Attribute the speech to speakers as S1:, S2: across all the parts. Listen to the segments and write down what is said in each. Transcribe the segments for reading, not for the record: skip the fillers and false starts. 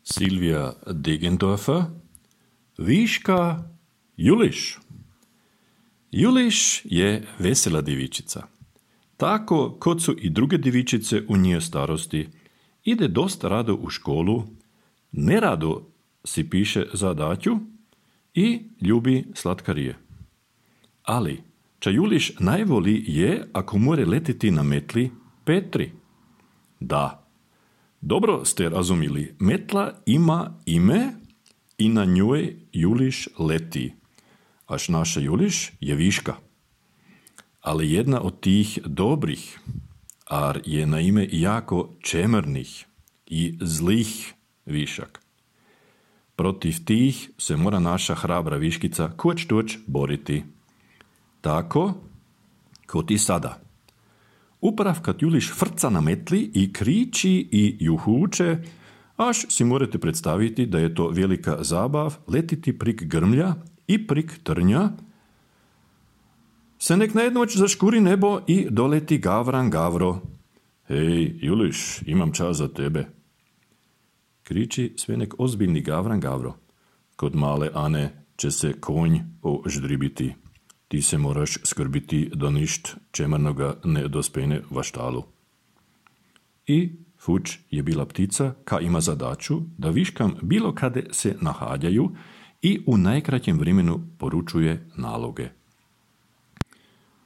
S1: Silvija Deggendorfer, Viška Juliš. Juliš je vesela djevičica. Tako kot su i druge djevičice u njoj starosti, ide dosta rado u školu, nerado si piše zadaću i ljubi slatkarije. Ali, ča Juliš najvoli je ako more letiti na metli Petri. Da, dobro ste razumili, metla ima ime i na njoj Juliš leti, až naša Juliš je Viška. Ali jedna od tih dobrih, ar je na ime jako čemernih i zlih višak. Protiv tih se mora naša hrabra viškica kuć-tuć boriti. Tako, kot i sada. Uprav kad Juliš frca na metli i kriči i juhuče, až si morate predstaviti da je to velika zabav letiti prik grmlja i prik trnja, se nek na jednoć zaškuri nebo i doleti Gavran Gavro. Hej, Juliš, imam čas za tebe. Kriči sve nek ozbiljni Gavran Gavro. Kod male Ane će se konj oždribiti. Ti se moraš skrbiti da ništ čemernoga ne dospene va štalu. I Fuč je bila ptica, ka ima zadaću da viškam bilo kade se nahađaju i u najkraćem vremenu poručuje naloge.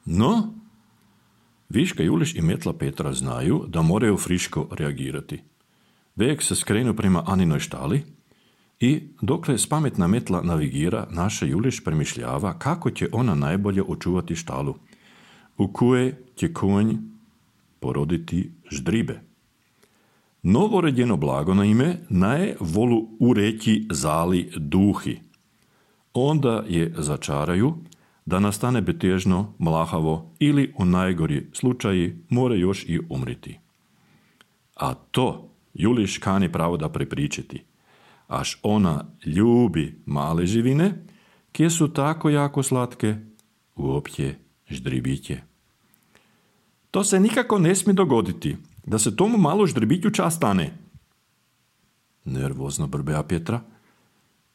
S1: No, Viška Juliš i metla Petra znaju da moraju friško reagirati. Vek se skrenu prema Aninoj štali i dokle spametna metla navigira, naša Juliš premišljava kako će ona najbolje očuvati štalu, u koje će konj poroditi ždribe. Novoredjeno blago na ime naje volu ureći zali duhi. Onda je začaraju da nastane betežno, mlahavo ili u najgori slučaji more još i umriti. A to Juliš kani pravo da prepričiti, až ona ljubi male živine, kje su tako jako slatke, uopće ždribiće. To se nikako ne smije dogoditi, da se tomu malo ždribiću čas stane. Nervozno brbeja Petra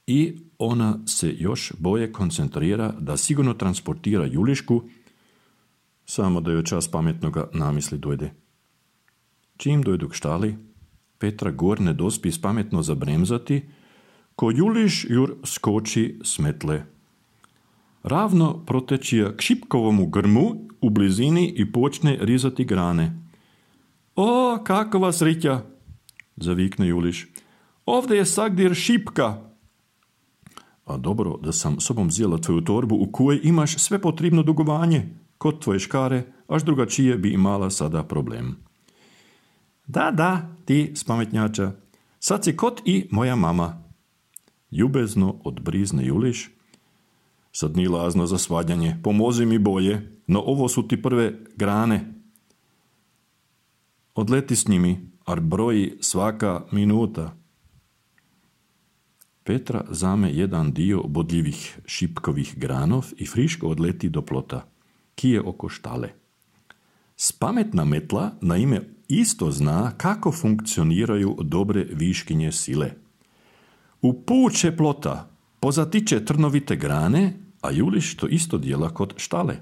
S1: i ona se još boje koncentrira da sigurno transportira Julišku, samo da joj čas pametnoga namisli dojde. Čim dojdu k štali, Petra gor ne dospi spametno zabremzati, ko Juliš jur skoči s metle. Ravno protečija k šipkovomu grmu u blizini i počne rizati grane. O, kakova srića, zavikne Juliš. Ovdje je sagdir šipka. A dobro da sam sobom zjela tvoju torbu u kojoj imaš sve potrebno dugovanje, kod tvoje škare, až drugačije bi imala sada problem. Da, ti spametnjača, sad si kot i moja mama. Ljubezno odbrizne Juliš. Sad ni lazno za svađanje, pomozi mi boje, no ovo su ti prve grane. Odleti s njimi, ar broji svaka minuta. Petra zame jedan dio bodljivih šipkovih granov i friško odleti do plota, ki je oko štale. Spametna metla na ime isto zna kako funkcioniraju dobre viškinje sile. U puće plota pozatiče trnovite grane, a Juliš to isto djela kod štale.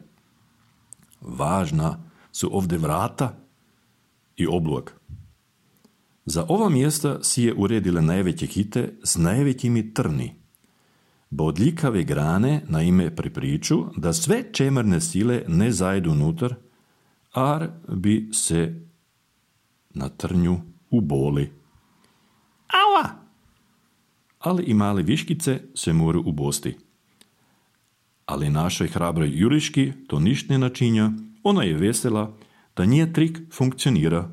S1: Važna su ovdje vrata i oblog. Za ova mjesta si je uredile najveće kite s najvećimi trni. Bodljikave grane na ime pripriču da sve čemerne sile ne zajdu unutar, ar bi se na trnju uboli. Aua! Ali i male viškice se moru ubosti. Ali našoj hrabroj Juliški to ništ ne načinja, ona je vesela da nije trik funkcionira.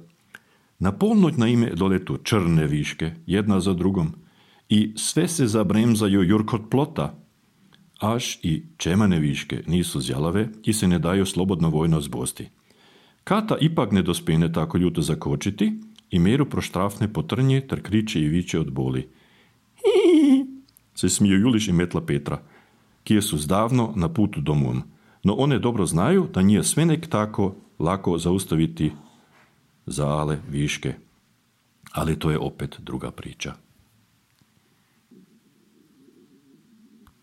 S1: Na polnoć na ime doletu črne viške, jedna za drugom, i sve se zabremzaju jur kod plota, až i čemane viške nisu zjalave i se ne daju slobodno vojno zbosti. Kata ipak ne dospene tako ljuto zakočiti i meru proštrafne po trnje ter kriče i viče od boli. Hihihi, se smiju Juliš i metla Petra, kije su zdavno na putu domom, no one dobro znaju da nije sve nek tako lako zaustaviti zale viške. Ali to je opet druga priča.